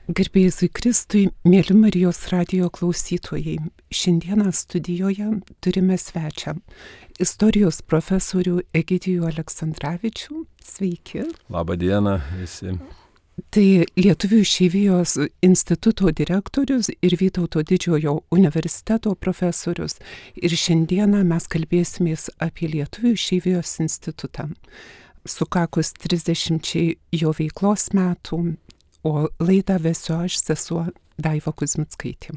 Garbėjai Kristui, mėly Marijos radijo klausytojai, šiandieną studijoje turime svečią, istorijos profesorių Egidijų Aleksandravičių. Sveiki. Labą dieną visi. Tai Lietuvių išeivijos instituto direktorius ir Vytauto didžiojo universiteto profesorius. Ir šiandieną mes kalbėsimės apie Lietuvių išeivijos institutą. Sukakus 30 jo veiklos metų, o laidą vesiu aš, sesuo Daiva Kuzmickaitė.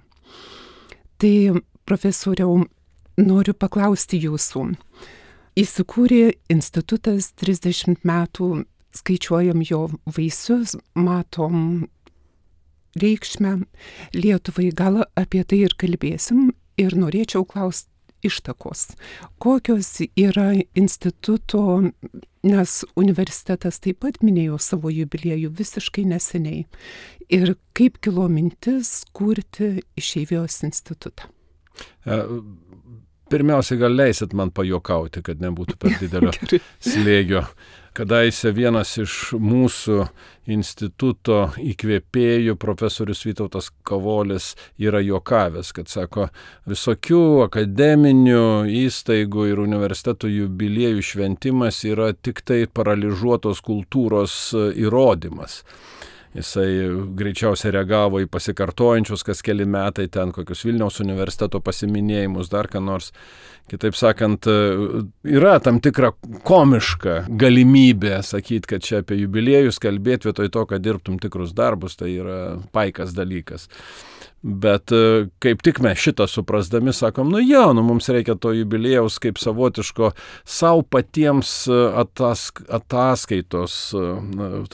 Tai, profesoriau, noriu paklausti jūsų. Įsikūrė institutas 30 metų, skaičiuojam jo vaisius, matom reikšmę Lietuvai, gal apie tai ir kalbėsim ir norėčiau klausti ištakos. Kokios yra instituto, nes universitetas taip pat minėjo savo jubiliejų visiškai neseniai. Ir kaip kilo mintis kurti Išeivijos institutą? Pirmiausia, gal leisit man pajuokauti, kad nebūtų per didelio slėgio. Kadaise vienas iš mūsų instituto įkvėpėjų, profesorius Vytautas Kavolis, yra juokavęs, kad sako, visokių akademinių įstaigų ir universitetų jubiliejų šventimas yra tik tai paralyžuotos kultūros įrodymas. Jisai greičiausiai reagavo į pasikartojančius kas keli metai ten kokius Vilniaus universiteto pasiminėjimus, dar ką nors. Kitaip sakant, yra tam tikra komiška galimybė sakyti, kad čia apie jubiliejus kalbėti vietoj to, kad dirbtum tikrus darbus, tai yra paikas dalykas. Bet kaip tik mes šitą suprasdami sakom, mums reikia to jubiliejaus kaip savotiško savo patiems ataskaitos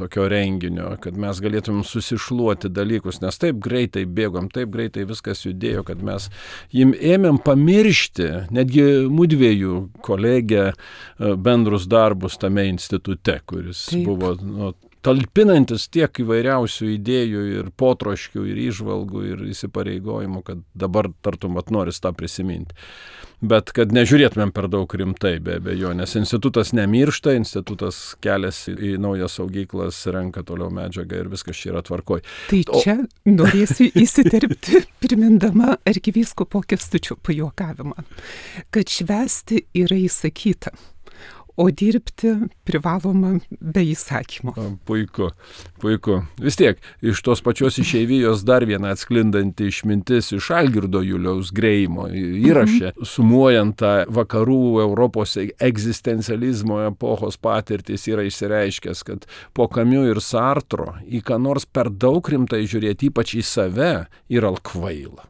tokio renginio, kad mes galėtumėm susišluoti dalykus, nes taip greitai bėgom, taip greitai viskas judėjo, kad mes jim ėmėm pamiršti, netgi mudviejų kolegę bendrus darbus tame institute, kuris buvo talpinantis tiek įvairiausių idėjų ir potroškių ir įžvalgų ir įsipareigojimų, kad dabar tartum noris tą prisiminti. Bet kad nežiūrėtumėm per daug rimtai, be abejo, nes institutas nemiršta, institutas keliasi į naujas saugyklas, renka toliau medžiagą ir viskas čia yra tvarkoj. Tai čia norėsiu įsiterpti, primindama arkivyskupo Kęstučio pajuokavimą, kad švęsti yra įsakyta, o dirbti privaloma be įsakymo. Puiku, puiku. Vis tiek, iš tos pačios išeivijos dar viena atsklindanti išmintis iš Algirdo Juliaus Greimo įraše, sumuojant tą vakarų Europos egzistencializmo epochos patirtis, yra išsireiškęs, kad po Camus ir Sartro į ką nors per daug rimtai žiūrėti, ypač į save, yra kvaila.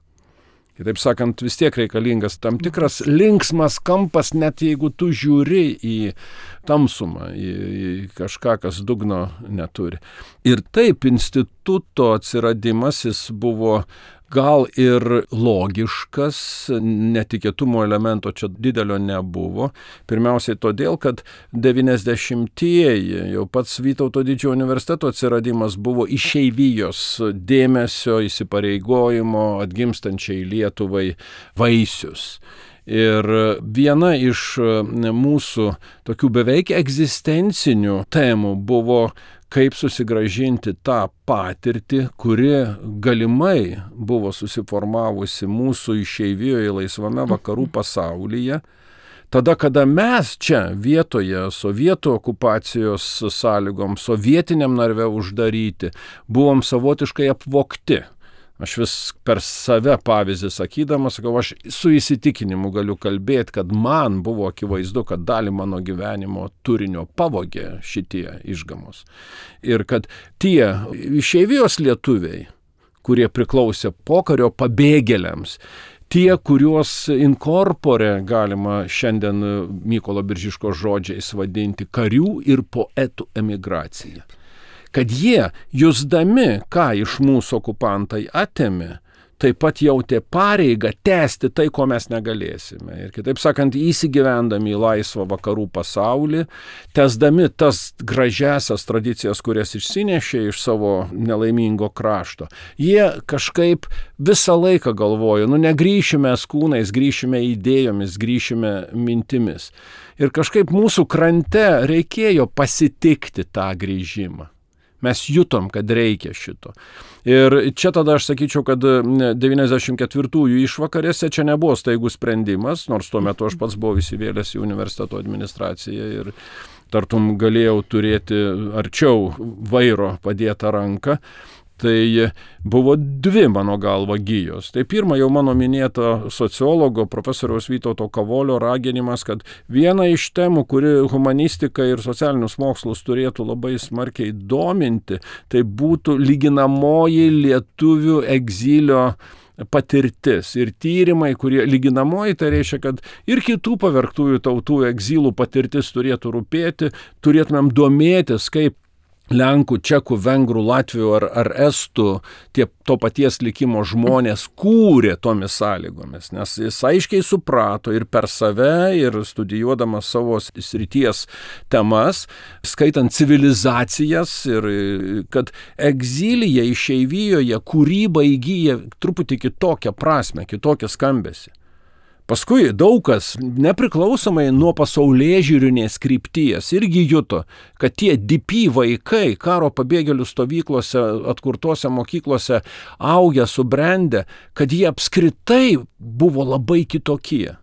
Kitaip sakant, vis tiek reikalingas tam tikras linksmas kampas, net jeigu tu žiūri į tamsumą, į kažką, kas dugno neturi. Ir taip, instituto atsiradimas jis buvo gal ir logiškas, netikėtumo elemento čia didelio nebuvo. Pirmiausiai todėl, kad 90-ieji, jau pats Vytauto didžiojo universiteto atsiradimas buvo išeivijos dėmesio, įsipareigojimo atgimstančiai Lietuvai vaisius. Ir viena iš mūsų tokių beveik egzistencinių temų buvo, kaip susigrąžinti tą patirtį, kuri galimai buvo susiformavusi mūsų išeivijoje laisvame vakarų pasaulyje, tada, kada mes čia vietoje sovietų okupacijos sąlygom, sovietiniam narve uždaryti, buvom savotiškai apvogti. Aš vis per save pavyzdį sakydamas, sakau, aš su įsitikinimu galiu kalbėti, kad man buvo akivaizdu, kad dalį mano gyvenimo turinio pavogė šitie išgamos. Ir kad tie išeivijos lietuviai, kurie priklausė pokario pabėgėliams, tie, kuriuos inkorpore galima šiandien Mykolo Biržiškos žodžiais vadinti karių ir poetų emigracija. Kad jie, jusdami, ką iš mūsų okupantai atėmė, taip pat jautė pareigą tęsti tai, ko mes negalėsime. Ir kitaip sakant, įsigyvendami į laisvą vakarų pasaulį, tęsdami tas gražiasias tradicijas, kurias išsinešė iš savo nelaimingo krašto, jie kažkaip visą laiką galvojo, negrįšime kūnais, grįšime idėjomis, grįšime mintimis. Ir kažkaip mūsų krante reikėjo pasitikti tą grįžimą. Mes jutom, kad reikia šito. Ir čia tada aš sakyčiau, kad 94-ųjų išvakarėse čia nebuvo staigus sprendimas, nors tuo metu aš pats buvau įsivėlęs į universiteto administraciją ir tartum galėjau turėti arčiau vairo padėtą ranką. Tai buvo dvi mano galva gijos. Tai pirma, jau mano minėta sociologo profesoriaus Vytauto Kavolio raginimas, kad viena iš temų, kuri humanistiką ir socialinius mokslus turėtų labai smarkiai dominti, tai būtų lyginamoji lietuvių egzilio patirtis ir tyrimai, kurie lyginamoji, tai reiškia, kad ir kitų pavergtųjų tautų egzilų patirtis turėtų rūpėti, turėtumėm domėtis, kaip Lenkų, Čekų, Vengrų, Latvių ar Estų to paties likimo žmonės kūrė tomis sąlygomis, nes jis aiškiai suprato ir per save, ir studijuodamas savo srities temas, skaitant civilizacijas, ir kad egzilyje, išeivijoje kūryba įgyja truputį kitokią prasmę, kitokią skambesį. Paskui daug kas, nepriklausomai nuo pasaulėžiūrinės krypties, irgi juto, kad tie DP vaikai karo pabėgėlių stovyklose, atkurtose mokyklose augę, subrendę, kad jie apskritai buvo labai kitokie.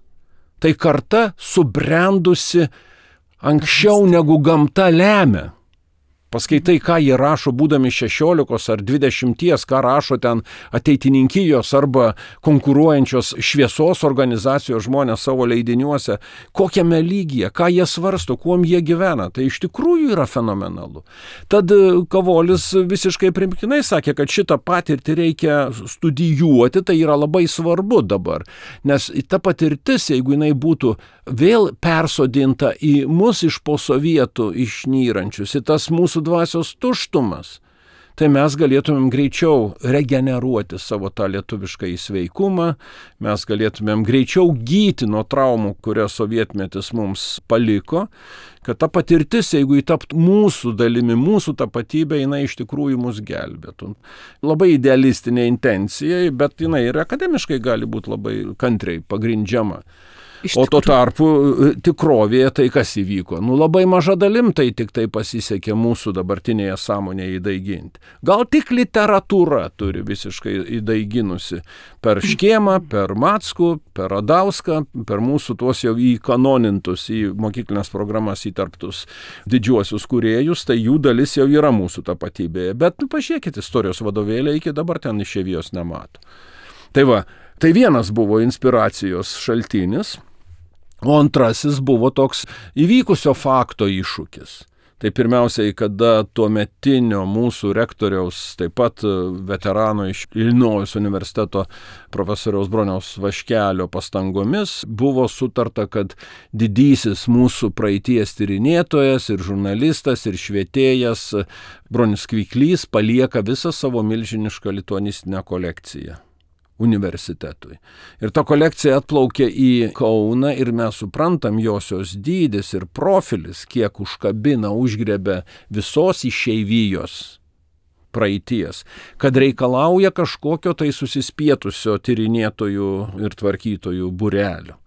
Tai karta subrendusi anksčiau negu gamta lemia. Paskaitai, ką jie rašo, būdami 16 ar 20, ką rašo ten ateitininkijos arba konkuruojančios šviesos organizacijos žmonės savo leidiniuose, kokiame lygyje, ką jie svarsto, kuom jie gyvena. Tai iš tikrųjų yra fenomenalu. Tad Kavolis visiškai primiktinai sakė, kad šitą patirtį reikia studijuoti, tai yra labai svarbu dabar. Nes ta patirtis, jeigu jinai būtų vėl persodinta į mus iš po sovietų išnyrančius, į tas mūsų dvasios tuštumas, tai mes galėtumėm greičiau regeneruoti savo tą lietuvišką įsveikumą, mes galėtumėm greičiau gyti nuo traumų, kurias sovietmetis mums paliko, kad ta patirtis, jeigu įtaptų mūsų dalimi, mūsų tapatybė, jinai iš tikrųjų mus gelbėtų. Labai idealistinė intencija, bet jinai ir akademiškai gali būti labai kantriai pagrindžiama. O tuo tarpu tikrovėje tai kas įvyko? Labai maža dalim tai tik tai pasisekė mūsų dabartinėje sąmonėje įdaiginti. Gal tik literatūra turi visiškai įdaiginusi per Škėmą, per Mackų, per Radauską, per mūsų tuos jau įkanonintus, į mokyklinės programas įtarptus didžiuosius kūrėjus, tai jų dalis jau yra mūsų tapatybėje. Bet pažiūrėkit, istorijos vadovėlė iki dabar ten išeivijos nemato. Tai va, tai vienas buvo inspiracijos šaltinis. O antrasis buvo toks įvykusio fakto iššūkis. Tai pirmiausiai, kada tuometinio mūsų rektoriaus, taip pat veterano iš Ilinojaus universiteto profesoriaus Broniaus Vaškelio pastangomis buvo sutarta, kad didysis mūsų praeities tyrinėtojas ir žurnalistas ir švietėjas Bronius Kviklys palieka visą savo milžinišką lituanistinę kolekciją universitetui. Ir ta kolekcija atplaukė į Kauną ir mes suprantam josios dydis ir profilis, kiek užkabina, užgrebė visos išeivijos praeities, kad reikalauja kažkokio tai susispietusio tyrinėtojų ir tvarkytojų būrelio.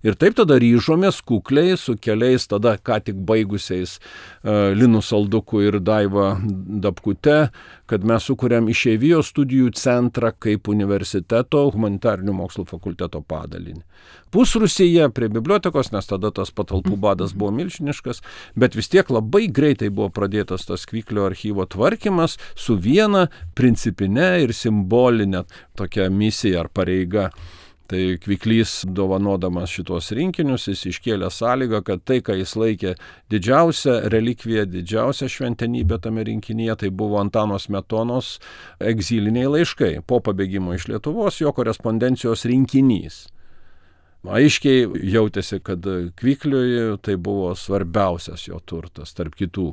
Ir taip tada ryžomės kukliai su keliais tada ką tik baigusiais Linu Salduku ir Daiva Dapkute, kad mes sukūrėm išeivijos studijų centrą kaip universiteto humanitarinių mokslų fakulteto padalinį. Pusrūsyje prie bibliotekos, nes tada tas patalpų badas buvo milžiniškas, bet vis tiek labai greitai buvo pradėtas tas Kviklio archyvo tvarkymas su viena principine ir simbolinė tokia misija ar pareiga. Tai Kviklys, dovanodamas šitos rinkinius, jis iškėlė sąlygą, kad tai, ką jis laikė didžiausia relikvija, didžiausia šventenybė tame rinkinyje, tai buvo Antano Smetonos egziliniai laiškai. Po pabėgimo iš Lietuvos jo korespondencijos rinkinys. Aiškiai jautėsi, kad Kvykliui tai buvo svarbiausias jo turtas tarp kitų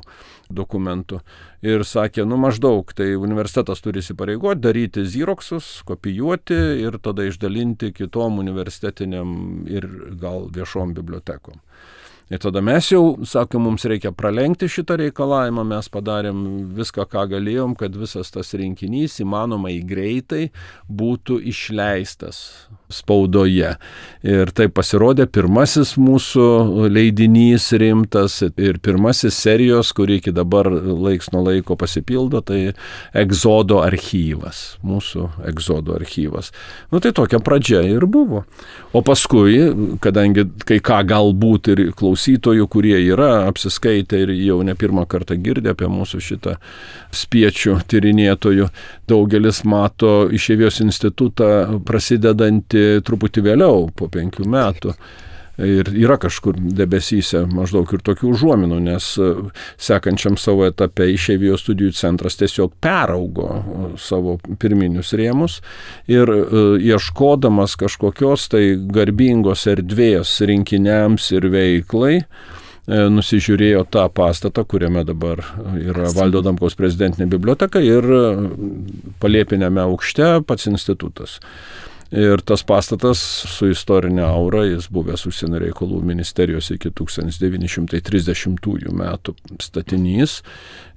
dokumentų. Ir sakė, maždaug, tai universitetas turi įsipareigoti, daryti ziroksus, kopijuoti ir tada išdalinti kitom universitetiniam ir gal viešom bibliotekom. Ir tada mes jau, sakė, mums reikia pralenkti šitą reikalavimą, mes padarėm viską, ką galėjom, kad visas tas rinkinys įmanomai greitai būtų išleistas spaudoje. Ir tai pasirodė pirmasis mūsų leidinys rimtas ir pirmasis serijos, kurį iki dabar laiks nuo laiko pasipildo, tai Egzodo archyvas, mūsų Egzodo archyvas. Tai tokia pradžia ir buvo. O paskui, kadangi kai ką galbūt ir klausytojų, kurie yra apsiskaitę ir jau ne pirmą kartą girdė apie mūsų šitą spiečių tyrinėtojų, daugelis mato Išeivijos institutą prasidedantį truputį vėliau, po 5 metų. Ir yra kažkur debesyse maždaug ir tokių užuominų, nes sekančiam savo etape Išeivijos studijų centras tiesiog peraugo savo pirminius rėmus ir ieškodamas kažkokios tai garbingos erdvės rinkiniams ir veiklai, nusižiūrėjo tą pastatą, kuriame dabar yra Valdo Adamkaus prezidentinė biblioteka ir palėpiniame aukšte pats institutas. Ir tas pastatas su istorinė aura, jis buvęs Užsienio reikalų ministerijos iki 1930 metų statinys.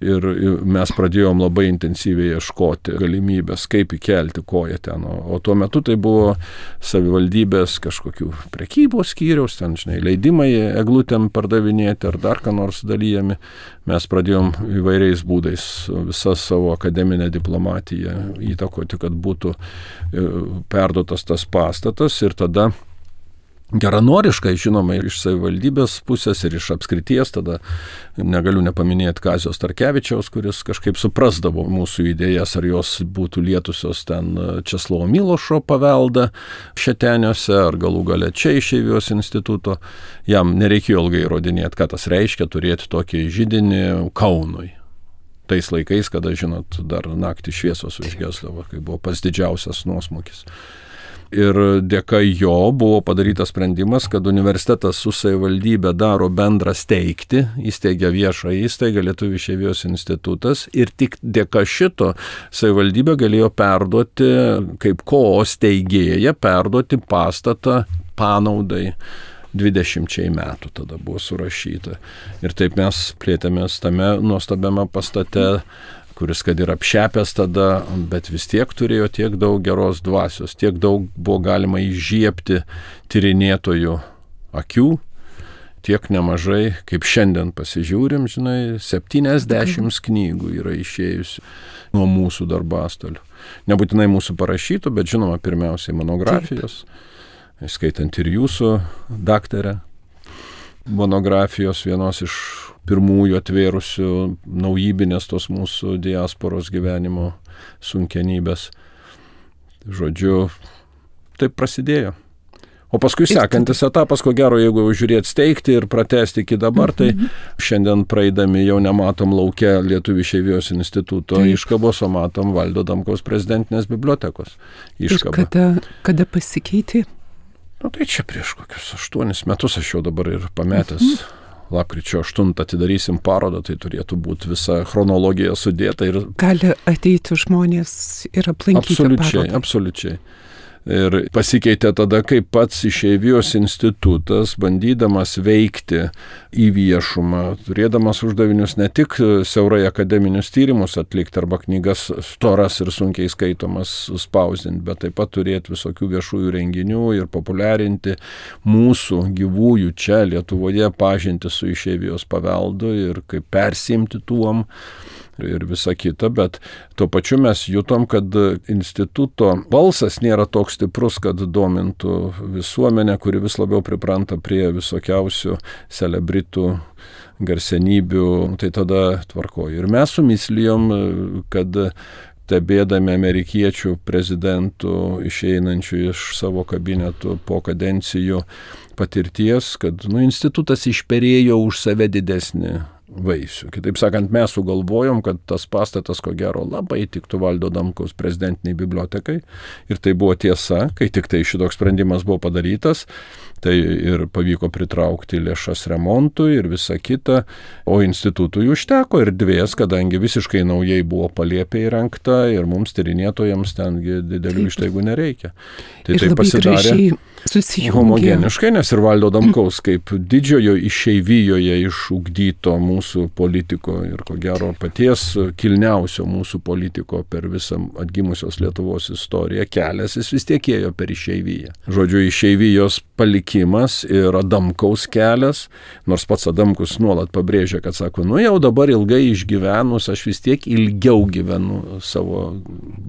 Ir mes pradėjom labai intensyviai ieškoti galimybės, kaip įkelti koją ten. O tuo metu tai buvo savivaldybės kažkokių prekybos skyriaus, ten, leidimai eglutėm pardavinėti ar dar ką nors dalyjami. Mes pradėjom įvairiais būdais visą savo akademinę diplomatiją įtakoti, kad būtų perduotas tas pastatas ir tada geranoriškai, žinoma, iš savivaldybės pusės ir iš apskrities, tada negaliu nepaminėti Kazio Starkevičiaus, kuris kažkaip suprasdavo mūsų idėjas, ar jos būtų lietusios ten Česlovo Milošo paveldą Šeteniuose, ar galų gale čia Išeivijos instituto. Jam nereikėjo ilgai įrodinėti, ką tas reiškia turėti tokį židinį Kaunui. Tais laikais, kada, žinot, dar naktį šviesos užgesdavo, kai buvo pats didžiausias nuosmukis. Ir dėka jo buvo padarytas sprendimas, kad universitetas su savivaldybė daro bendrą steigti, įsteigia viešą įstaigą Lietuvių Išeivijos institutas ir tik dėka šito savivaldybė galėjo perduoti, kaip steigėja, perduoti pastatą panaudai 20 metų tada buvo surašyta. Ir taip mes plėtėmės tame nuostabiame pastate, kuris kad ir apšepęs tada, bet vis tiek turėjo tiek daug geros dvasios, tiek daug buvo galima įžiebti tyrinėtojų akių, tiek nemažai, kaip šiandien pasižiūrim, 70 knygų yra išėjusių nuo mūsų darbastolių. Nebūtinai mūsų parašytų, bet žinoma, pirmiausiai monografijos, skaitant ir jūsų daktarę. Monografijos vienos iš pirmųjų atvėrusių naujybinės tos mūsų diasporos gyvenimo sunkenybės. Žodžiu, taip prasidėjo. O paskui sekantis etapas, ko gero, jeigu žiūrėti steigti ir pratesti iki dabar, tai šiandien praeidami jau nematom lauke Lietuvių Išeivijos instituto iškabos, o matom Valdo Adamkaus prezidentinės bibliotekos iškabą. Ir kada pasikeitė? Tai čia prieš kokius 8 metus aš jau dabar ir pametęs. Lapkričio 8 atidarysim parodą, tai turėtų būti visa chronologija sudėta. Ir gali ateiti žmonės ir aplankyti parodą. Absoliučiai. Ir pasikeitė tada, kai pats Išeivijos institutas, bandydamas veikti į viešumą, turėdamas uždavinius ne tik siaurai akademinius tyrimus atlikti arba knygas storas ir sunkiai skaitomas spausdinti, bet taip pat turėti visokių viešųjų renginių ir populiarinti mūsų gyvųjų čia Lietuvoje pažinti su Išeivijos paveldu ir kaip persimti tuom ir visa kita, bet tuo pačiu mes jutom, kad instituto balsas nėra toks stiprus, kad domintų visuomenę, kuri vis labiau pripranta prie visokiausių celebritų, garsenybių, tai tada tvarkoju. Ir mes sumislijom, kad stebėdami amerikiečių prezidentų išeinančių iš savo kabinetų po kadencijų patirties, kad institutas išperėjo už save didesnį vaisių. Kitaip sakant, mes sugalvojom, kad tas pastatas, ko gero, labai tiktų Valdo Adamkaus prezidentiniai bibliotekai. Ir tai buvo tiesa, kai tik tai šitoks sprendimas buvo padarytas, tai ir pavyko pritraukti lėšas remontui ir visa kita, o institutui užteko erdvės, kadangi visiškai naujai buvo palėpė įrengta ir mums tyrinėtojams tengi didelių ištaigų nereikia. Tai ir labai pasidarė homogeniškai, nes ir Valdo Adamkaus kaip didžiojo išeivijoje išugdyto mūsų politiko ir ko gero paties kilniausio mūsų politiko per visą atgimusios Lietuvos istoriją kelias, jis vis tiek ėjo per išeiviją. Žodžiu, išeivijos palikimas ir Adamkaus kelias, nors pats Adamkus nuolat pabrėžia, kad sako, jau dabar ilgai išgyvenus, aš vis tiek ilgiau gyvenu savo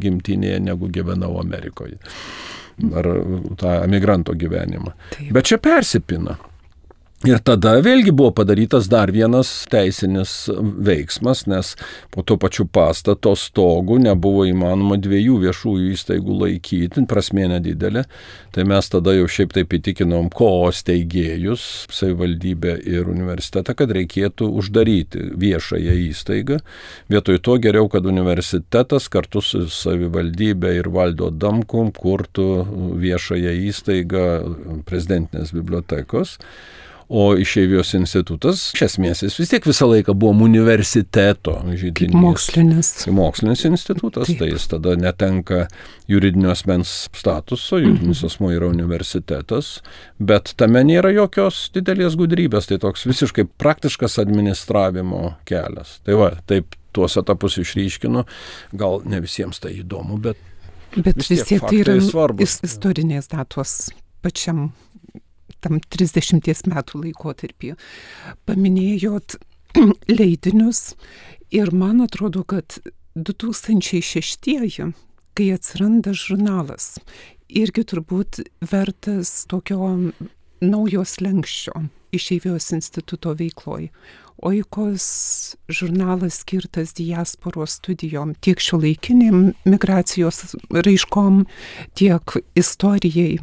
gimtinėje, negu gyvenau Amerikoje. Ar tą emigranto gyvenimą. Taip. Bet čia persipina. Ir tada vėlgi buvo padarytas dar vienas teisinis veiksmas, nes po to pačiu pastato stogu nebuvo įmanoma 2 viešųjų įstaigų laikyti, prasmė nedidelė. Tai mes tada jau šiaip taip įtikinom steigėjus, savivaldybę ir universitetą, kad reikėtų uždaryti viešąją įstaigą. Vietoj to geriau, kad universitetas kartu su savivaldybė ir Valdu Adamkum kurtų viešąją įstaigą Prezidentinės bibliotekos. O Išeivijos institutas, iš esmės, jis vis tiek visą laiką buvo universiteto židinys. Mokslinis institutas, tai jis tada netenka juridinio asmens statuso, juridinis asmuo yra universitetas, bet tame nėra jokios didelės gudrybės, tai toks visiškai praktiškas administravimo kelias. Tai va, taip tuos etapus išryškinu, gal ne visiems tai įdomu, bet vis tiek tai yra svarbus. Istorinės datos pačiam tam 30 metų laikotarpį. Paminėjot leidinius ir man atrodo, kad 2006, kai atsiranda žurnalas, irgi turbūt vertas tokio naujo slenksčio Išeivijos instituto veikloj. Oikos žurnalas skirtas diasporos studijom, tiek šiuolaikiniam migracijos raiškom, tiek istorijai.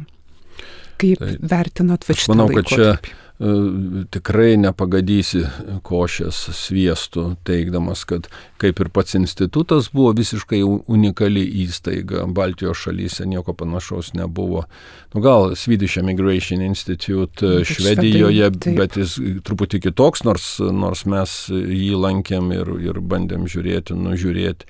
Kaip vertinot va šitą laikotarpį? Aš manau, kad čia tikrai nepagadysi košės sviestų, teigdamas, kad kaip ir pats institutas buvo visiškai unikali įstaiga. Baltijos šalyse nieko panašaus nebuvo. Gal Swedish Immigration Institute Švedijoje, bet jis truputį kitoks, nors mes jį lankėm ir bandėm nužiūrėti.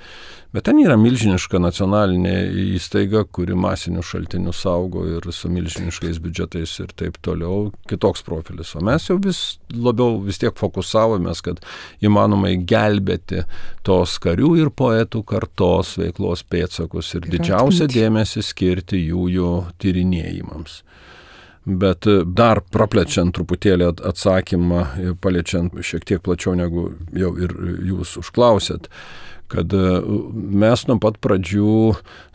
Bet ten yra milžiniška nacionalinė įstaiga, kuri masinių šaltinių saugo ir su milžiniškais biudžetais ir taip toliau, kitoks profilis. O mes jau vis labiau vis tiek fokusavomės, kad įmanomai gelbėti tos karių ir poetų kartos veiklos pėdsakus ir didžiausią dėmesį skirti jų tyrinėjimams. Bet dar praplečiant truputėlį atsakymą, paliečiant šiek tiek plačiau negu jau ir jūs užklausėt, kad mes nuo pat pradžių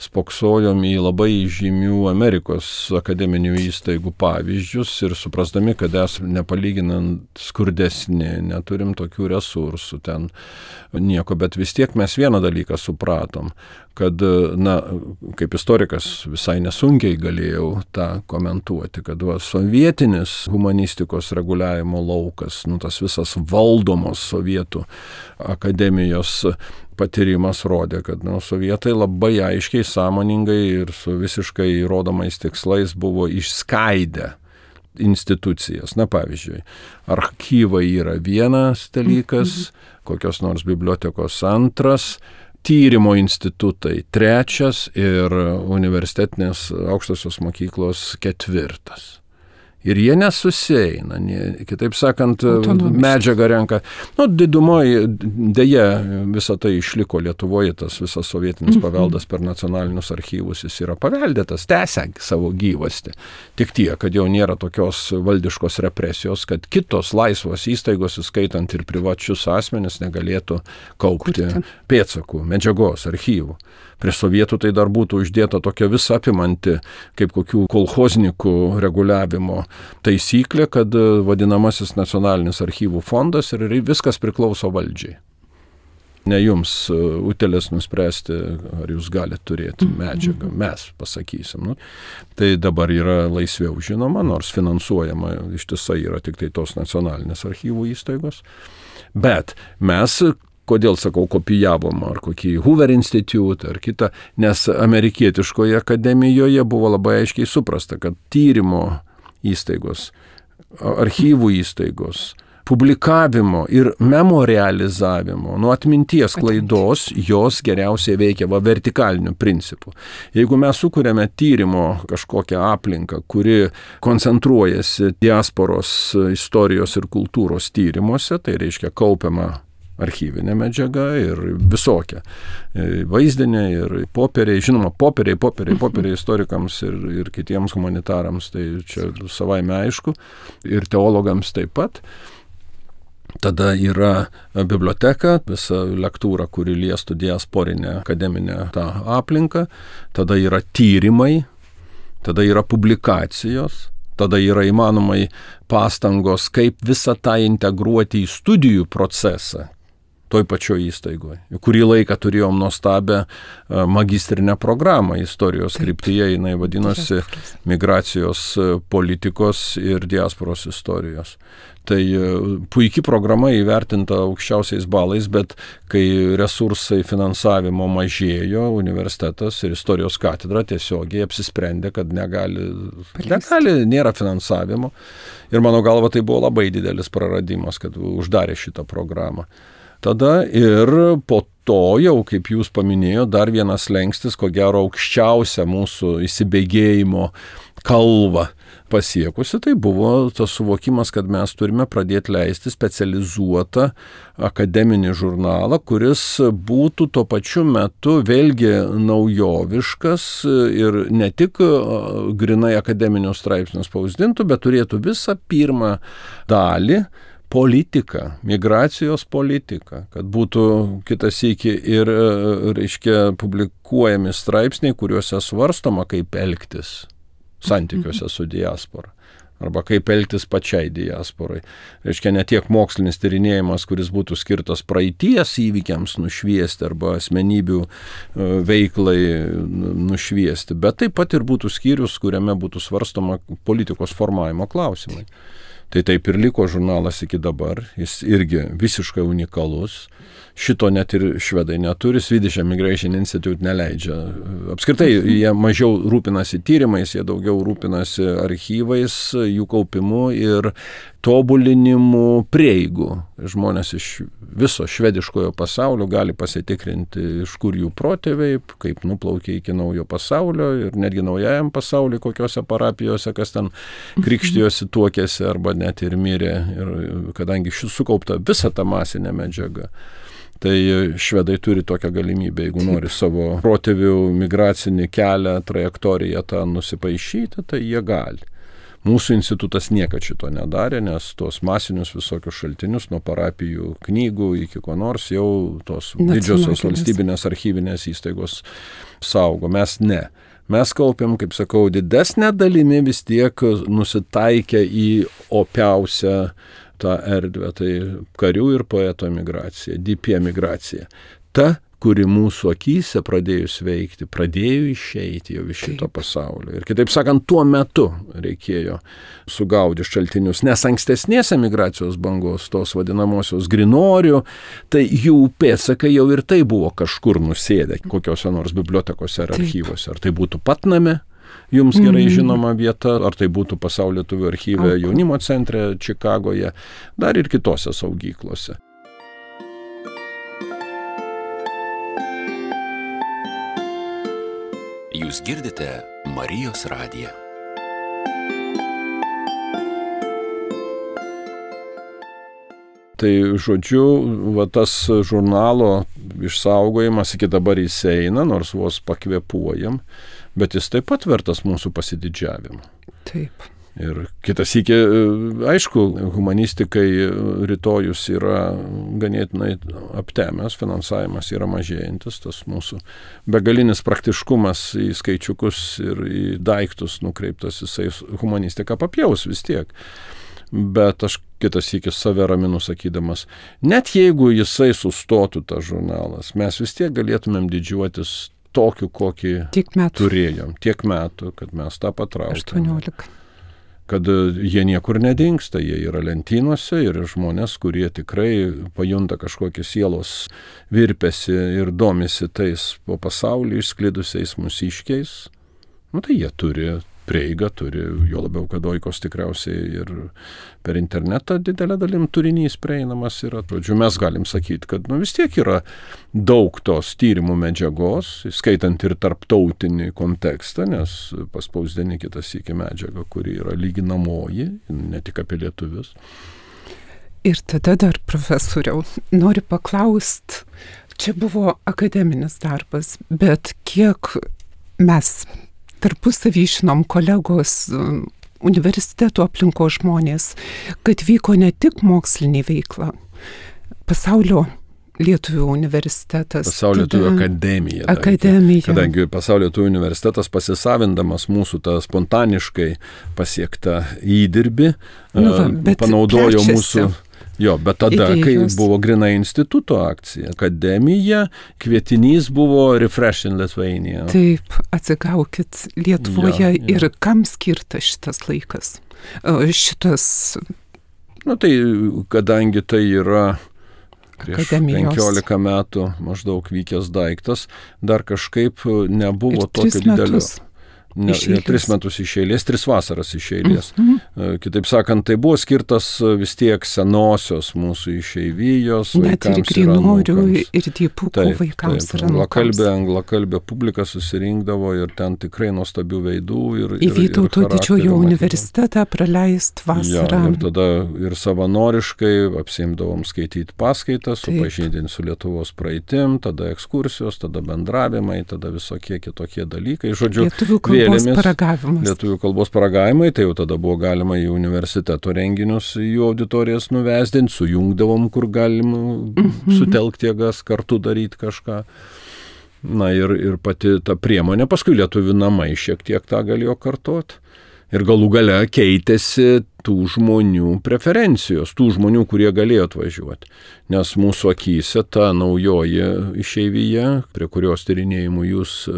spoksojom į labai žymių Amerikos akademinių įstaigų pavyzdžius ir suprasdami, kad esame nepalyginant skurdesni, neturim tokių resursų ten nieko, bet vis tiek mes vieną dalyką supratom, kad, kaip istorikas visai nesunkiai galėjau tą komentuoti, kad sovietinis humanistikos reguliavimo laukas, tas visas valdomos sovietų akademijos patyrimas rodė, kad sovietai labai aiškiai, sąmoningai ir su visiškai įrodomais tikslais buvo išskaidę institucijas. Pavyzdžiui, archyvai yra vienas dalykas, kokios nors bibliotekos antras, tyrimo institutai trečias ir universitetinės aukštosios mokyklos ketvirtas. Ir jie nesusieina, kitaip sakant, medžiagą renka. Didumoje dėja visą tai išliko Lietuvoje, tas visas sovietinis paveldas per nacionalinius archyvus, jis yra paveldėtas, tęsia savo gyvastį. Tik tiek, kad jau nėra tokios valdiškos represijos, kad kitos laisvos įstaigos, įskaitant ir privačius asmenis, negalėtų kaupti pėdsakų, medžiagos, archyvų. Prie sovietų tai dar būtų uždėta tokia visą apimanti, kaip kokių kolchoznikų reguliavimo taisyklė, kad vadinamasis nacionalinis archyvų fondas ir viskas priklauso valdžiai. Ne jums utėlės nuspręsti, ar jūs galite turėti medžiagą, mes pasakysim. Tai dabar yra laisviau žinoma, nors finansuojama ištisai yra tik tai tos nacionalinės archyvų įstaigos. Bet mes, kodėl sakau, kopijavom ar kokį Hoover Institute ar kitą, nes amerikietiškoje akademijoje buvo labai aiškiai suprasta, kad tyrimo įstaigos, archyvų įstaigos, publikavimo ir memorializavimo, nuo atminties klaidos, jos geriausiai veikia vertikaliniu principu. Jeigu mes sukūrėme tyrimo kažkokią aplinką, kuri koncentruojasi diasporos istorijos ir kultūros tyrimuose, tai reiškia kaupiama archyvinė medžiaga ir visokia. Vaizdinė ir popieriai, žinoma, popieriai istorikams ir kitiems humanitarams, tai čia savaime aišku, ir teologams taip pat. Tada yra biblioteka, visa lektūra, kuri liestų diasporinę akademinę tą aplinką. Tada yra tyrimai, tada yra publikacijos, tada yra įmanomai pastangos, kaip visą tą integruoti į studijų procesą toj pačioj įstaigoje. Kurį laiką turėjom nuostabią magistrinę programą istorijos kryptyje, jinai vadinosi migracijos politikos ir diasporos istorijos. Tai puikiai programa įvertinta aukščiausiais balais, bet kai resursai finansavimo mažėjo, universitetas ir istorijos katedra tiesiogiai apsisprendė, negali, nėra finansavimo. Ir mano galva tai buvo labai didelis praradimas, kad uždarė šitą programą. Tada ir po to jau, kaip jūs paminėjote, dar vienas slengstis, ko gero aukščiausia mūsų įsibėgėjimo kalva pasiekusi, tai buvo tas suvokimas, kad mes turime pradėti leisti specializuotą akademinį žurnalą, kuris būtų tuo pačiu metu vėlgi naujoviškas ir ne tik grinai akademinius straipsnius spausdintų, bet turėtų visą pirmą dalį politika, migracijos politika, kad būtų kitas iki ir, reiškia, publikuojami straipsniai, kuriuose svarstoma, kaip elgtis santykiuose su diaspora. Arba kaip elgtis pačiai diasporai. Reiškia, ne tiek mokslinis tyrinėjimas, kuris būtų skirtas praeities įvykiams nušviesti arba asmenybių veiklai nušviesti, bet taip pat ir būtų skyrius, kuriame būtų svarstoma politikos formavimo klausimai. Tai taip ir liko žurnalas iki dabar, jis irgi visiškai unikalus. Šito net ir švedai neturi, Swedish Immigration Institute neleidžia. Apskritai, jie mažiau rūpinasi tyrimais, jie daugiau rūpinasi archyvais, jų kaupimu ir tobulinimu prieigų. Žmonės iš viso švediškojo pasaulio gali pasitikrinti, iš kur jų protėviai, kaip nuplaukė iki naujo pasaulio ir netgi naujajam pasauliui, kokiose parapijose, kas ten krikštijosi, tuokėsi arba net ir mirė. Ir kadangi sukaupta visa ta masinė medžiaga, tai švedai turi tokią galimybę, jeigu nori savo protėvių migracinį kelią, trajektoriją tą nusipaišyti, tai jie gali. Mūsų institutas niekad šito nedarė, nes tos masinius visokius šaltinius nuo parapijų knygų iki ko nors jau tos didžiosios valstybinės archyvinės įstaigos saugo. Mes ne. Mes kaupiam, kaip sakau, didesnę dalimi vis tiek nusitaikę į opiausią tą erdvę, tai karių ir poeto emigracija, DP emigracija. Ta, kuri mūsų akyse pradėjus veikti, pradėjo išeiti jau iš šito pasaulio. Ir kitaip sakant, tuo metu reikėjo sugaudyti šaltinius, nes ankstesnės emigracijos bangos, tos vadinamosios grinorių, tai jų pėdsakai jau ir tai buvo kažkur nusėdę, kokiose nors bibliotekose ar archyvose. Ar tai būtų Patname, jums gerai žinoma vieta, ar tai būtų Pasaulio lietuvių archyve jaunimo centre Čikagoje, dar ir kitose saugyklose. Jūs girdite Marijos radiją. Tai žodžiu, tas žurnalo išsaugojimas iki dabar jis eina, nors vos pakvėpuojam, bet jis taip pat vertas mūsų pasididžiavimo. Taip. Ir kitas iki, aišku, humanistikai rytojus yra ganėtinai aptemęs, finansavimas yra mažėjantis, tas mūsų begalinis praktiškumas į skaičiukus ir į daiktus nukreiptas, jisai humanistiką papjaus vis tiek. Bet aš kitas iki save raminu sakydamas, net jeigu jisai sustotų tas žurnalas, mes vis tiek galėtumėm didžiuotis tokiu, kokį turėjom. Tiek metų, kad mes tą patraukėme. 18. Kad jie niekur nedingsta, jie yra lentynose ir žmonės, kurie tikrai pajunta kažkokį sielos virpesį ir domisi tais po pasaulį išsklidusiais mūsiškiais, tai jie turi prieigą turi, jo labiau, kad Oikos tikriausiai ir per internetą didelę dalim turinys prieinamas yra. Žodžiu, mes galim sakyti, kad vis tiek yra daug tos tyrimų medžiagos, skaitant ir tarptautinį kontekstą, nes paspausdini kitas iki medžiagą, kuri yra lyginamoji, ne tik apie lietuvius. Ir tada dar, profesoriau, noriu paklausti, čia buvo akademinis darbas, bet kiek mes tarpusavį žinom kolegos universitetų aplinkos žmonės, kad vyko ne tik mokslinė veikla, Pasaulio lietuvių universitetas. Pasaulio lietuvių akademija. Akademija. Kadangi Pasaulio lietuvių universitetas pasisavindamas mūsų tą spontaniškai pasiektą įdirbį, panaudojo mūsų... Jo, bet tada, kai buvo grynai instituto akcija, akademija, kvietinys buvo Refresh in Lithuania. Taip, atsigaukit Lietuvoje ir kam skirtas šitas laikas? Tai kadangi tai yra prieš 15 metų maždaug vykęs daiktas, dar kažkaip nebuvo tokio didelio. 3 metus iš eilės, 3 vasaras iš eilės. Kitaip sakant, tai buvo skirtas vis tiek senosios mūsų išeivijos vaikams ir anūkams. Ir dipukų vaikams ir anūkams. Anglakalbė publika susirinkdavo ir ten tikrai nuostabių veidų. Į Vytauto didžiojo universitetą praleist vasarą. Ir tada ir savanoriškai apsiimdavom skaityti paskaitas, supažindinti su Lietuvos praeitim, tada ekskursijos, tada bendravimai, tada visokie kitokie dalykai. Žodžiu, Lietuvių kalbos paragavimai, tai jau tada buvo galima į universiteto renginius, jų auditorijas nuvesdinti, sujungdavom, kur galim sutelkti jėgas, kartu daryti kažką. Ir pati ta priemonė, paskui Lietuvių namai šiek tiek tą galėjo kartoti. Ir galų gale keitėsi tų žmonių preferencijos, tų žmonių, kurie galėjo atvažiuoti. Nes mūsų akyse ta naujoji išeivija, prie kurios tyrinėjimų jūs,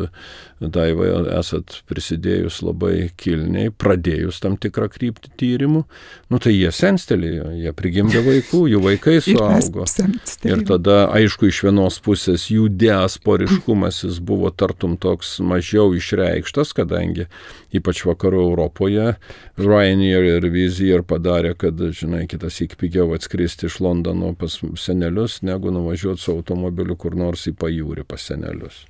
Daiva, esat prisidėjus labai kilniai, pradėjus tam tikrą kryptį tyrimų, tai jie senstelėjo, jie prigimdė vaikų, jų vaikai suaugo. Ir tada, aišku, iš vienos pusės jų diasporiškumas jis buvo tartum toks mažiau išreikštas, kadangi ypač vakarų Europoje Ryanair ir Wizz Air padarė, kad, kitas iki pigiau atskristi iš Londono pas senelius, negu nuvažiuoti su automobiliu kur nors į pajūrį pas senelius.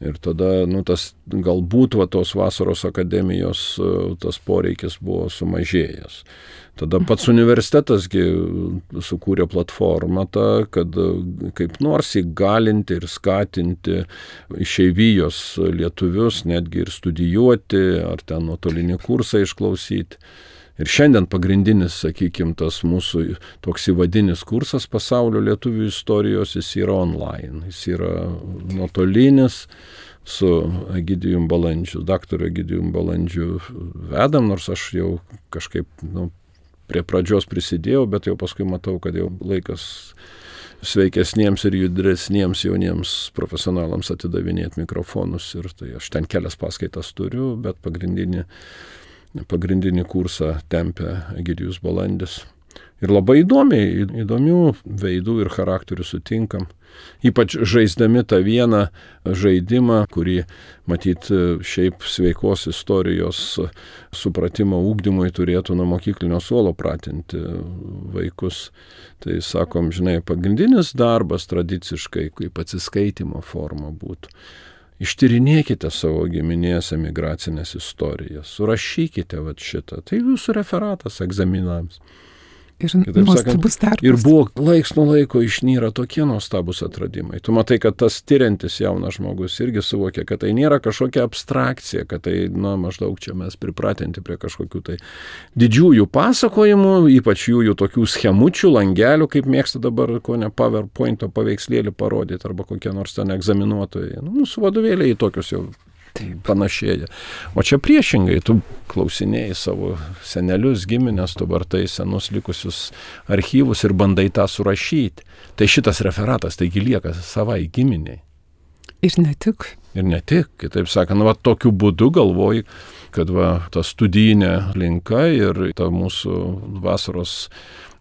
Ir tada, tas galbūt tos vasaros akademijos tas poreikis buvo sumažėjęs. Tada pats universitetasgi sukūrė platformą tą, kad kaip nors įgalinti ir skatinti išeivijos lietuvius, netgi ir studijuoti, ar ten nuotolinį kursą išklausyti. Ir šiandien pagrindinis, sakykime, tas mūsų toks įvadinis kursas pasaulio lietuvių istorijos, jis yra online. Jis yra nuotolinis su Egidijum Balandžiu, daktaru Egidijum Balandžiu vedam, nors aš jau kažkaip prie pradžios prisidėjau, bet jau paskui matau, kad jau laikas sveikesniems ir judresniems jauniems profesionalams atidavinėti mikrofonus. Ir tai aš ten kelias paskaitas turiu, bet pagrindinį kursą tempia Egidijus Balandis. Ir labai įdomių veidų ir charakterių sutinkam. Ypač žaisdami tą vieną žaidimą, kurį, matyt, šiaip sveikos istorijos supratimo ugdymui turėtų nuo mokyklinio suolo pratinti vaikus. Tai sakom, pagrindinis darbas tradiciškai, kaip atsiskaitimo forma būtų. Ištyrinėkite savo giminės emigracinės istorijas, surašykite šitą. Tai jūsų referatas egzaminams. Ir nuostabus darbas. Ir buvo laiks nuo laiko išnyra tokie nuostabus atradimai. Tu matai, kad tas tyriantis jaunas žmogus irgi suvokia, kad tai nėra kažkokia abstrakcija, kad tai, maždaug čia mes pripratinti prie kažkokių tai didžiųjų pasakojimų, ypač jų tokių schemučių, langelių, kaip mėgsta dabar, ko ne PowerPoint'o paveikslėlį parodyti, arba kokie nors ten egzaminuotojai. Mūsų vadovėliai į tokius jau panašėja. O čia priešingai, tu klausinėjai savo senelius, giminės, tu vartai senus likusius archyvus ir bandai tą surašyti. Tai šitas referatas, taigi lieka savai giminiai. Ir ne tik. Kitaip sakant, tokiu būdu galvoju, kad ta studijinė linka ir ta mūsų vasaros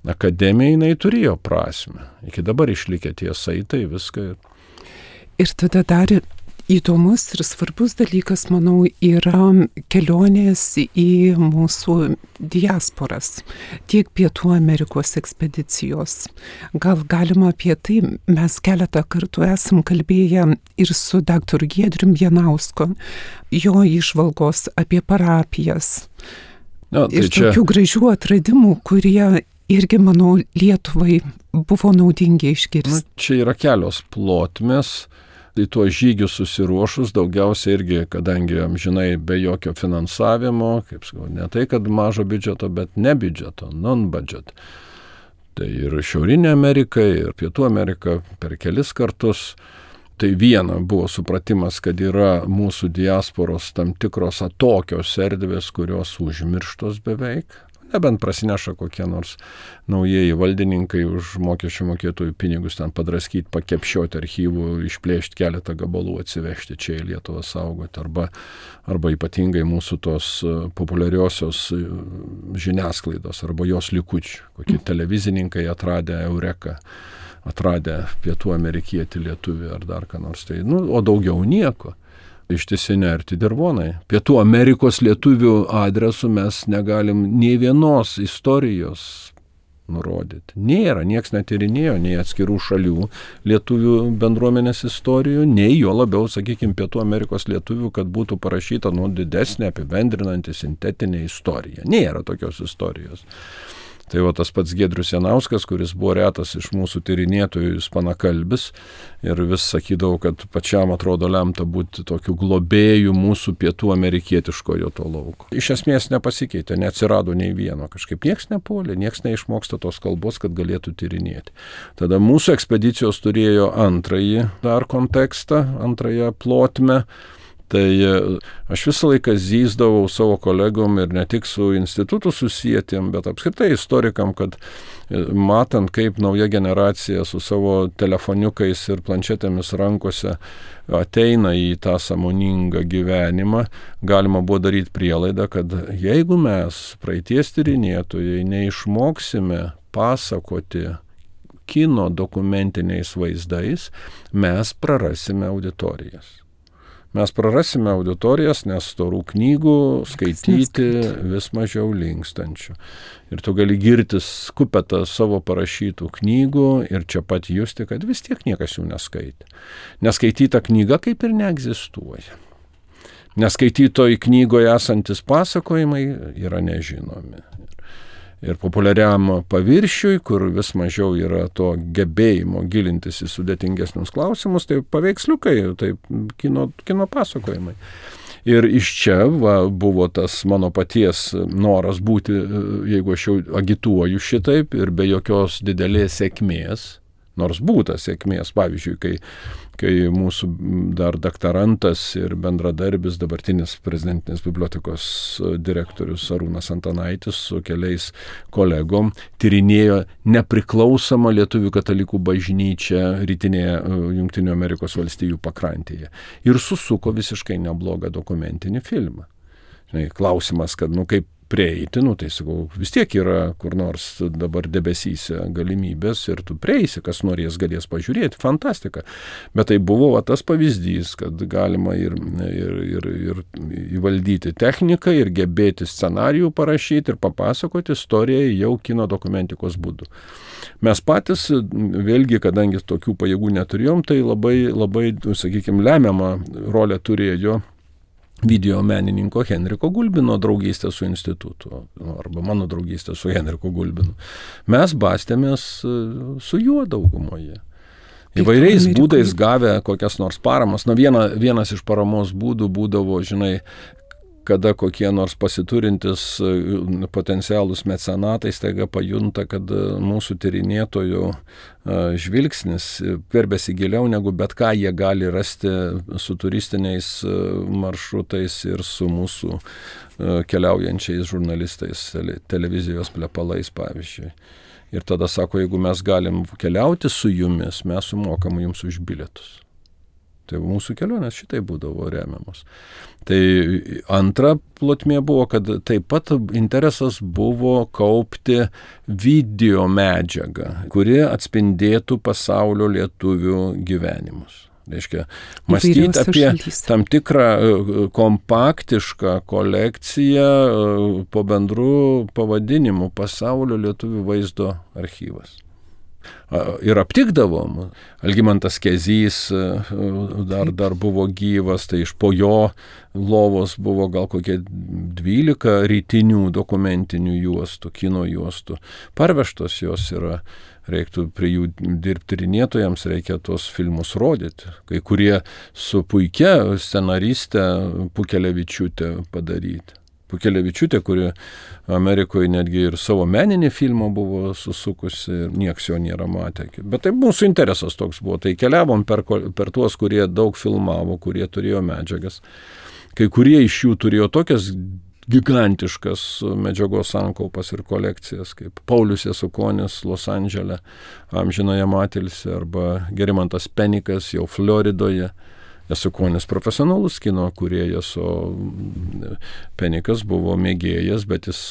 akademija, jinai turėjo prasmę. Iki dabar išlikę tie saitai, viską. Ir tada dar įdomus ir svarbus dalykas, manau, yra kelionės į mūsų diasporas, tiek Pietų Amerikos ekspedicijos. Gal galima apie tai, mes keletą kartų esam kalbėję ir su dr. Giedrium Janausku, jo įžvalgos apie parapijas. Ir tokių gražių atradimų, kurie irgi, manau, Lietuvai buvo naudingi išgirsti. Čia yra kelios plotmės. Į tuos žygius susiruošus daugiausiai irgi, kadangi amžinai be jokio finansavimo, kaip sakau, ne tai, kad mažo biudžeto, bet ne biudžeto, non-budget. Tai ir Šiaurinė Amerika, ir Pietų Amerika per kelis kartus. Tai viena buvo supratimas, kad yra mūsų diasporos tam tikros atokios erdvės, kurios užmirštos beveik. Nebent prasineša kokie nors naujieji valdininkai už mokesčių mokėtojų pinigus ten padraskyti, pakepšioti archyvų, išplėšti keletą gabalų, atsivežti čia į Lietuvą saugoti. Arba ypatingai mūsų tos populiariosios žiniasklaidos, arba jos likučių. Kokie televizininkai atradę Eureką, atradę Pietų Amerikietį lietuvį ar dar ką nors. Tai, o daugiau nieko. Ištisi nerti dirvonai. Pietų Amerikos lietuvių adresų mes negalim nei vienos istorijos nurodyti. Nėra, nieks netyrinėjo, nei atskirų šalių lietuvių bendruomenės istorijų, nei jo labiau, sakykime, Pietų Amerikos lietuvių, kad būtų parašyta didesnė, apibendrinanti, sintetinė istorija. Nėra tokios istorijos. Tai tas pats Giedrius Janauskas, kuris buvo retas iš mūsų tyrinėtojų ispanakalbis ir vis sakydavo, kad pačiam atrodo lemta būti tokiu globėju mūsų pietų amerikietiškojo to lauko. Iš esmės nepasikeitė, neatsirado nei vieno, kažkaip nieks nepuolė, nieks neišmoksta tos kalbos, kad galėtų tyrinėti. Tada mūsų ekspedicijos turėjo antrąjį dar kontekstą, antrąją plotmę. Tai aš visą laiką zyzdavau savo kolegom ir ne tik su institutu susijętiem, bet apskritai istorikam, kad matant, kaip nauja generacija su savo telefoniukais ir planšetėmis rankose ateina į tą sąmoningą gyvenimą, galima buvo daryti prielaidą, kad jeigu mes, praeities tyrinėtojai, neišmoksime pasakoti kino dokumentiniais vaizdais, mes prarasime auditorijas. Mes prarasime auditorijas, nes storų knygų skaityti vis mažiau linkstančių. Ir tu gali girtis kupetą savo parašytų knygų ir čia pat justi, kad vis tiek niekas jų neskaitė. Neskaityta knyga kaip ir neegzistuoja. Neskaitytoj knygoje esantis pasakojimai yra nežinomi. Ir populiariam paviršiui, kur vis mažiau yra to gebėjimo gilintis į sudėtingesnius klausimus, tai paveiksliukai, tai kino pasakojimai. Ir iš čia buvo tas mano paties noras būti, jeigu aš jau agituoju šitaip ir be jokios didelės sėkmės, nors būta sėkmės, pavyzdžiui, kai mūsų dar doktorantas ir bendradarbis, dabartinis prezidentinės bibliotekos direktorius Arūnas Antanaitis su keliais kolegom tyrinėjo nepriklausomą lietuvių katalikų bažnyčią rytinėje Jungtinių Amerikos valstijų pakrantėje. Ir susuko visiškai neblogą dokumentinį filmą. Klausimas, kad kaip prieiti, tai sakau, vis tiek yra kur nors dabar debesyse galimybės ir tu prieisi, kas norės, galės pažiūrėti, fantastika. Bet tai buvo tas pavyzdys, kad galima ir įvaldyti techniką, ir gebėti scenarijų parašyti, ir papasakoti istoriją jau kino dokumentikos būdu. Mes patys, vėlgi, kadangi tokių pajėgų neturėjom, tai labai, sakykime, lemiamą rolę turėjo video menininko Henriko Gulbino draugystė su institutu, arba mano draugystė su Henriku Gulbinu. Mes bastėmės su juo daugumoje. Įvairiais būdais gavę kokias nors paramas. Vienas iš paramos būdų būdavo, kada kokie nors pasiturintis potencialūs mecenatai staiga pajunta, kad mūsų tyrinėtojų žvilgsnis verbėsi giliau negu bet ką jie gali rasti su turistiniais maršrutais ir su mūsų keliaujančiais žurnalistais, televizijos plepalais, pavyzdžiui. Ir tada sako, jeigu mes galim keliauti su jumis, mes sumokam jums už bilietus. Tai mūsų kelionės šitai būdavo remiamos. Tai antra plotmė buvo, kad taip pat interesas buvo kaupti video medžiagą, kuri atspindėtų pasaulio lietuvių gyvenimus. Reiškia, mąstyti apie tam tikrą kompaktišką kolekciją po bendrų pavadinimų Pasaulio lietuvių vaizdo archyvas. Ir aptikdavom. Algimantas Kezys dar buvo gyvas, tai iš po jo lovos buvo gal kokie 12 rytinių dokumentinių juostų, kino juostų. Parvežtos jos yra, reiktų prie jų dirbti tyrinėtojams, reikia tuos filmus rodyti. Kai kurie su puikia scenariste Pukelevičiūtė padaryti. Pukelevičiūtė, kuri Amerikoje netgi ir savo meninį filmą buvo susukusi ir nieks jo nėra matę. Bet tai mūsų interesas toks buvo. Tai keliavom per tuos, kurie daug filmavo, kurie turėjo medžiagas. Kai kurie iš jų turėjo tokias gigantiškas medžiagos sankaupas ir kolekcijas, kaip Paulius Jasukonis Los Andžele, amžinoje matilse, arba Gerimantas Penikas jau Floridoje. Jasukonis profesionalus kino kūrėjas, o Penikas buvo mėgėjas, bet jis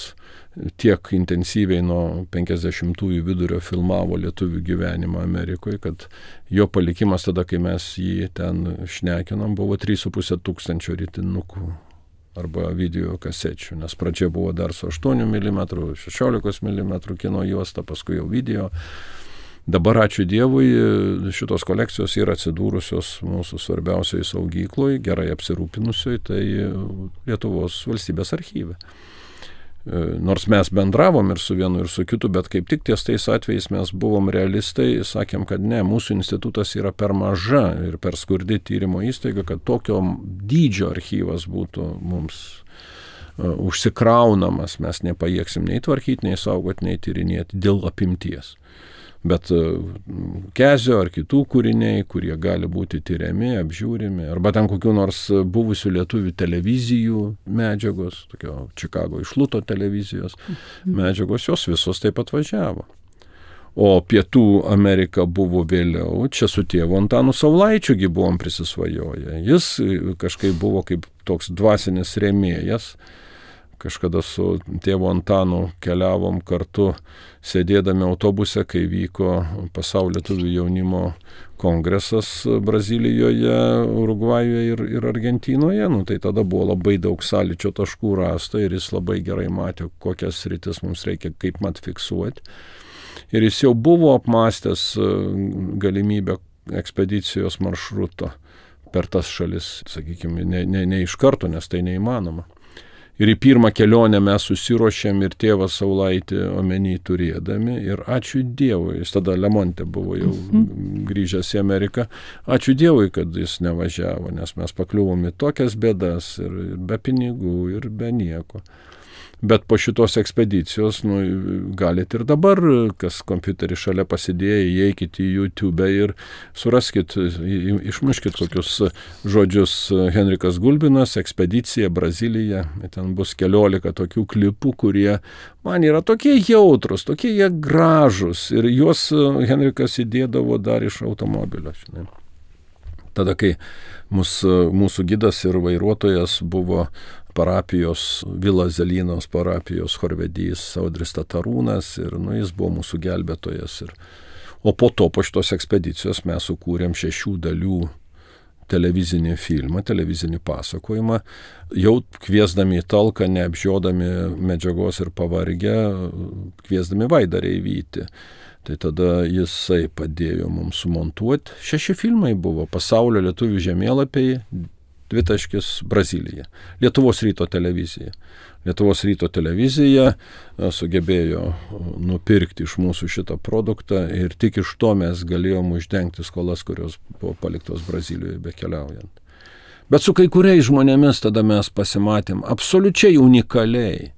tiek intensyviai nuo 50-ųjų vidurio filmavo lietuvių gyvenimą Amerikoje, kad jo palikimas tada, kai mes jį ten šnekinom, buvo 3,5 tūkstančio rytinukų arba video kasečių, nes pradžia buvo dar su 8 mm, 16 mm kino juosta, paskui jau video. Dabar, ačiū Dievui, šitos kolekcijos yra atsidūrusios mūsų svarbiausioje saugykloje, gerai apsirūpinusioje, tai Lietuvos valstybės archyve. Nors mes bendravom ir su vienu, ir su kitu, bet kaip tik ties tais atvejais mes buvom realistai, sakėm, kad ne, mūsų institutas yra per maža ir per skurdi tyrimo įstaiga, kad tokio dydžio archyvas būtų mums užsikraunamas, mes nepajėgsim nei tvarkyti, nei saugoti, nei tyrinėti dėl apimties. Bet Kezio ar kitų kūriniai, kurie gali būti tyriami, apžiūrimi, arba ten kokių nors buvusių lietuvių televizijų medžiagos, tokio Čikago išluto televizijos medžiagos, jos visos taip atvažiavo. O Pietų Amerika buvo vėliau, čia su tėvu Antanu Saulaičiugi buvom prisisvajoję. Jis kažkaip buvo kaip toks dvasinis rėmėjas. Kažkada su tėvu Antanu keliavom kartu, sėdėdami autobuse, kai vyko Pasaulio lietuvių jaunimo kongresas Brazilijoje, Urugvajuje ir Argentinoje. Tai tada buvo labai daug sąlyčio taškų rasta ir jis labai gerai matė, kokias sritis mums reikia kaip mat fiksuoti. Ir jis jau buvo apmąstęs galimybę ekspedicijos maršruto per tas šalis, sakykime, ne iš karto, nes tai neįmanoma. Ir į pirmą kelionę mes susiruošėm ir tėvą Saulaitį omeny turėdami. Ir ačiū Dievui, jis tada Lemonte buvo jau grįžęs į Ameriką. Ačiū Dievui, kad jis nevažiavo, nes mes pakliuvom į tokias bėdas ir be pinigų, ir be nieko. Bet po šitos ekspedicijos, galit ir dabar, kas kompiuterį šalia pasidėję, įeikit į YouTube ir suraskit, išmuškit kokius žodžius Henrikas Gulbinas, ekspedicija, Brazilija. Ten bus 14 tokių klipų, kurie man yra tokie jautrus, tokie jie gražus. Ir juos Henrikas įdėdavo dar iš automobilio. Žinai. Tada, kai mūsų gidas ir vairuotojas buvo parapijos, Vila Zelynos parapijos chorvedys Audris Tatarūnas ir jis buvo mūsų gelbėtojas. O po to, po šitos ekspedicijos mes sukūrėm 6 dalių televizinį filmą, televizinį pasakojimą, jau kviesdami į talką, neapžiodami medžiagos ir pavargę, kviesdami Vaidą Reivyti. Tai tada jisai padėjo mums sumontuoti. 6 filmai buvo: Pasaulio lietuvių žemėlapiai, Brazilija. Lietuvos ryto televizija. Lietuvos ryto televizija sugebėjo nupirkti iš mūsų šitą produktą ir tik iš to mes galėjom uždengti skolas, kurios buvo paliktos Brazilijoje bekeliaujant. Bet su kai kuriais žmonėmis tada mes pasimatėm absoliučiai unikaliai.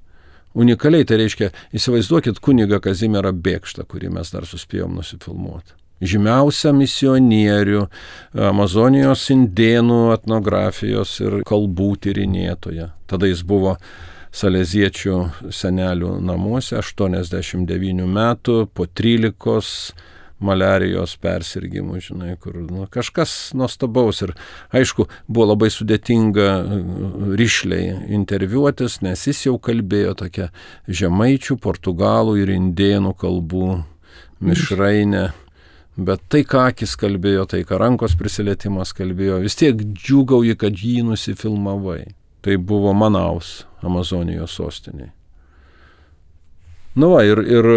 Unikaliai tai reiškia, įsivaizduokit kunigą Kazimierą Bėkštą, kurį mes dar suspėjom nusifilmuoti. Žymiausią misionierių, Amazonijos indėnų etnografijos ir kalbų tyrinėtoją. Tada jis buvo saleziečių senelių namuose, 89 metų, po 13 maliarijos persirgimų, žinai, kur kažkas nuostabaus. Ir aišku, buvo labai sudėtinga rišliai interviuotis, nes jis jau kalbėjo tokia žemaičių, portugalų ir indėnų kalbų mišrainė. Bet tai, ką akis kalbėjo, tai, ką rankos prisilietimas kalbėjo, vis tiek džiūgauji, kad jį nusifilmavai. Tai buvo Manaus, Amazonijos sostinė. Ir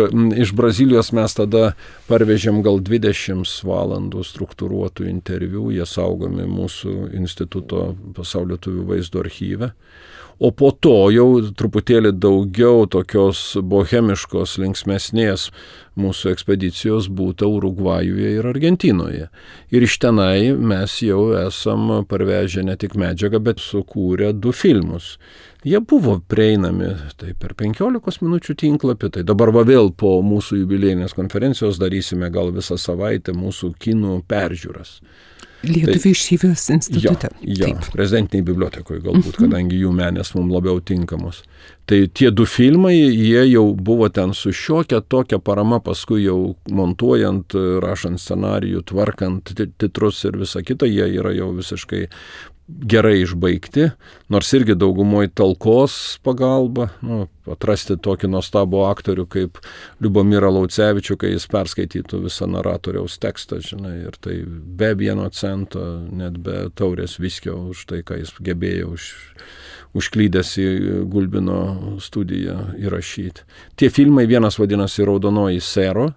iš Brazilijos mes tada parvežėm gal 20 valandų struktūruotų interviu, jie saugomi mūsų instituto Pasaulio lietuvių vaizdo archyve. O po to jau truputėlį daugiau tokios bohemiškos, linksmesnės mūsų ekspedicijos būta Urugvajuje ir Argentinoje. Ir iš tenai mes jau esam parvežę ne tik medžiagą, bet sukūrę 2 filmus. Jie buvo prieinami tai per 15 minučių tinklapį, tai dabar vėl po mūsų jubiliejinės konferencijos darysime gal visą savaitę mūsų kinų peržiūras. Lietuvių išeivijos institute. Jo, prezidentiniai bibliotekoje galbūt, kadangi jų menės mums labiau tinkamos. Tai tie 2 filmai, jie jau buvo ten su šiokia tokia parama, paskui jau montuojant, rašant scenarijų, tvarkant titrus ir visą kitą, jie yra jau visiškai gerai išbaigti, nors irgi daugumoje talkos pagalba, atrasti tokį nuostabų aktorių kaip Liubomirą Laucevičių, kai jis perskaitytų visą naratoriaus tekstą, žinai, ir tai be 1 cento, net be taurės viskio už tai, ką jis gebėjo užklydęs į Gulbino studiją įrašyti. Tie filmai, vienas vadinasi Raudonoji Sero,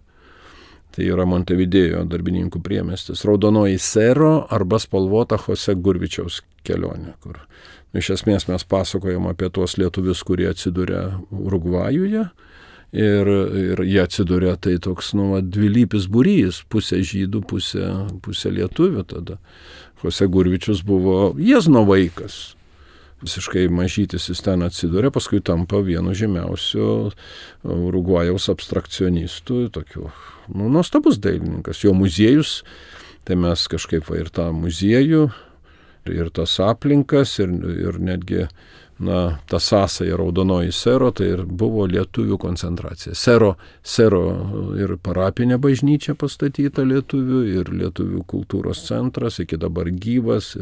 tai yra Montevidėjo darbininkų priemiestis, Raudonoji Sero arba Spalvota Jose Gurvičiaus kelionė, kur iš esmės mes pasakojam apie tuos lietuvius, kurie atsiduria Urugvajuje ir jie atsiduria tai toks, dvilypis būrys, pusė žydų, pusė lietuvių tada. Jose Gurvičius buvo Jiezno vaikas. Visiškai mažytis jis ten atsiduria, paskui tampa vienu žymiausių Urugvajaus abstrakcionistų, tokių, nuostabus dailininkas. Jo muziejus, tai mes kažkaip ir tą muziejų, ir tas aplinkas, ir netgi, ta sąsaja Raudonoji Sero, tai ir buvo lietuvių koncentracija. Sero ir parapinė bažnyčia pastatyta lietuvių, ir lietuvių kultūros centras, iki dabar gyvas.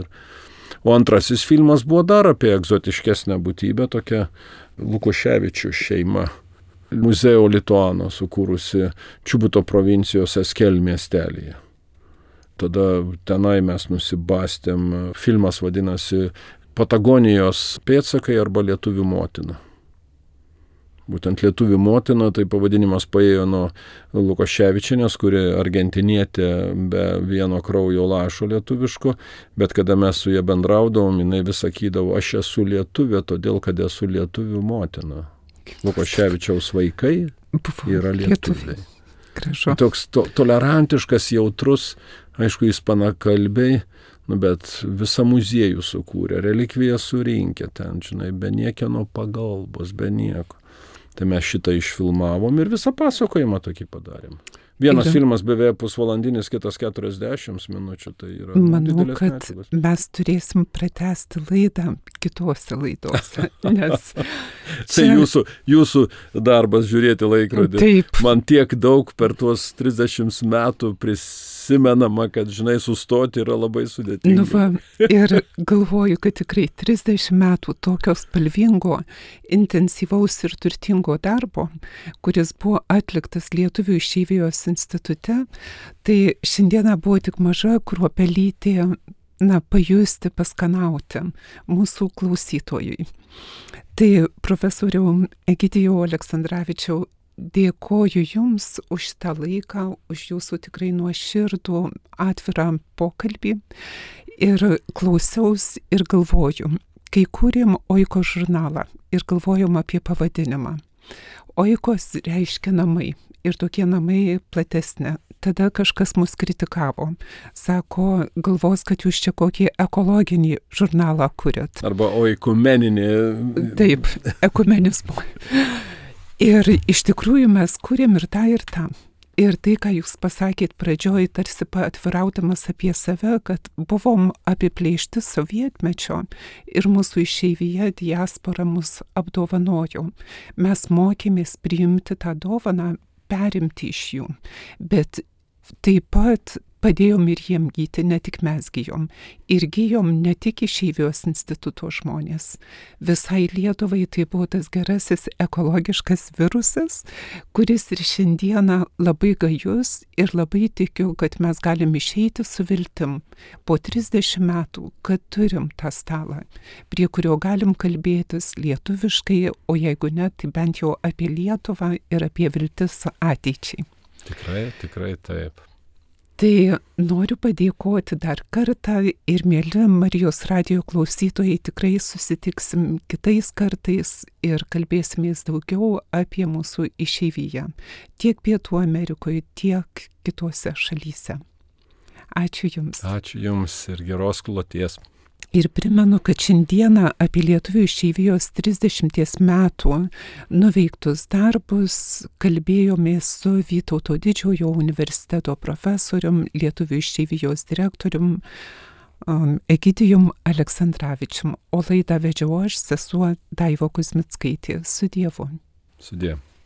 O antrasis filmas buvo dar apie egzotiškesnę būtybę, tokia Lukoševičių šeima. Muzeo Lituano sukūrusi Čiubuto provincijos Eskel miestelyje. Tada tenai mes nusibastėm, filmas vadinasi Patagonijos pėdsakai arba Lietuvių motina. Būtent Lietuvių motina, tai pavadinimas paėjo nuo Lukoševičienės, kuri argentinietė be vieno kraujo lašo lietuviško, bet kada mes su ja bendraudavom, jinai vis sakydavo, aš esu lietuvė, todėl kad esu lietuvių motina. Lukoševičiaus vaikai yra lietuviai. Toks tolerantiškas, jautrus, aišku, ispanakalbiai, bet visą muziejų sukūrė, relikviją surinkė ten, žinai, be niekieno pagalbos, be nieko. Tai mes šitą išfilmavom ir visą pasakojimą tokį padarėm. Vienas filmas beveik pusvalandinis, kitas 40 minučių, tai yra Manau, kad medžiagos. Mes turėsim pratęsti laidą kitose laidose, nes Tai jūsų darbas žiūrėti laikrodį. Taip. Man tiek daug per tuos 30 metų prisimenama, kad, žinai, sustoti yra labai sudėtinga. Ir galvoju, kad tikrai 30 metų tokio spalvingo, intensyvaus ir turtingo darbo, kuris buvo atliktas Lietuvių išeivijos institute, tai šiandieną buvo tik maža kruopelytė pajusti, paskanauti mūsų klausytojui. Tai profesoriau Egidijau Aleksandravičiau, dėkoju Jums už šitą laiką, už Jūsų tikrai nuoširdų atvirą pokalbį ir klausiaus ir galvoju, kai kūrėm Oikos žurnalą ir galvojom apie pavadinimą. Oikos reiškia namai ir tokie namai platesnė. Tada kažkas mus kritikavo. Sako, galvos, kad jūs čia kokį ekologinį žurnalą kuriat. Arba oikumeninį. Taip, ekumenizmo. Ir iš tikrųjų mes kūrėm ir tą, ir tą. Ir tai, ką jūs pasakėt pradžioj, tarsi atviraudamas apie save, kad buvom apiplėšti sovietmečio ir mūsų išeivija diaspora mus apdovanojo. Mes mokėmės priimti tą dovaną, perimti iš jų. Bet taip pat padėjom ir jiem gyti, ne tik mes gijom. Ir gijom ne tik išeivijos instituto žmonės. Visai Lietuvai tai buvo tas gerasis ekologiškas virusas, kuris ir šiandieną labai gajus ir labai tikiu, kad mes galim išeiti su viltim po 30 metų, kad turim tą stalą, prie kurio galim kalbėtis lietuviškai, o jeigu ne, tai bent jau apie Lietuvą ir apie viltis ateičiai. Tikrai taip. Tai noriu padėkoti dar kartą ir mėly Marijos radijo klausytojai, tikrai susitiksim kitais kartais ir kalbėsimės daugiau apie mūsų išeiviją, tiek Pietų Amerikoje, tiek kitose šalyse. Ačiū Jums. Ačiū Jums ir geros kloties. Ir primenu, kad šiandieną apie lietuvių išeivijos 30 metų nuveiktus darbus kalbėjomės su Vytauto Didžiojo universiteto profesorium, lietuvių išeivijos direktorium Egidijum Aleksandravičium, o laidą vedžiau aš, sesuo Daiva Kuzmickaitė. Su Dievu. Sudie.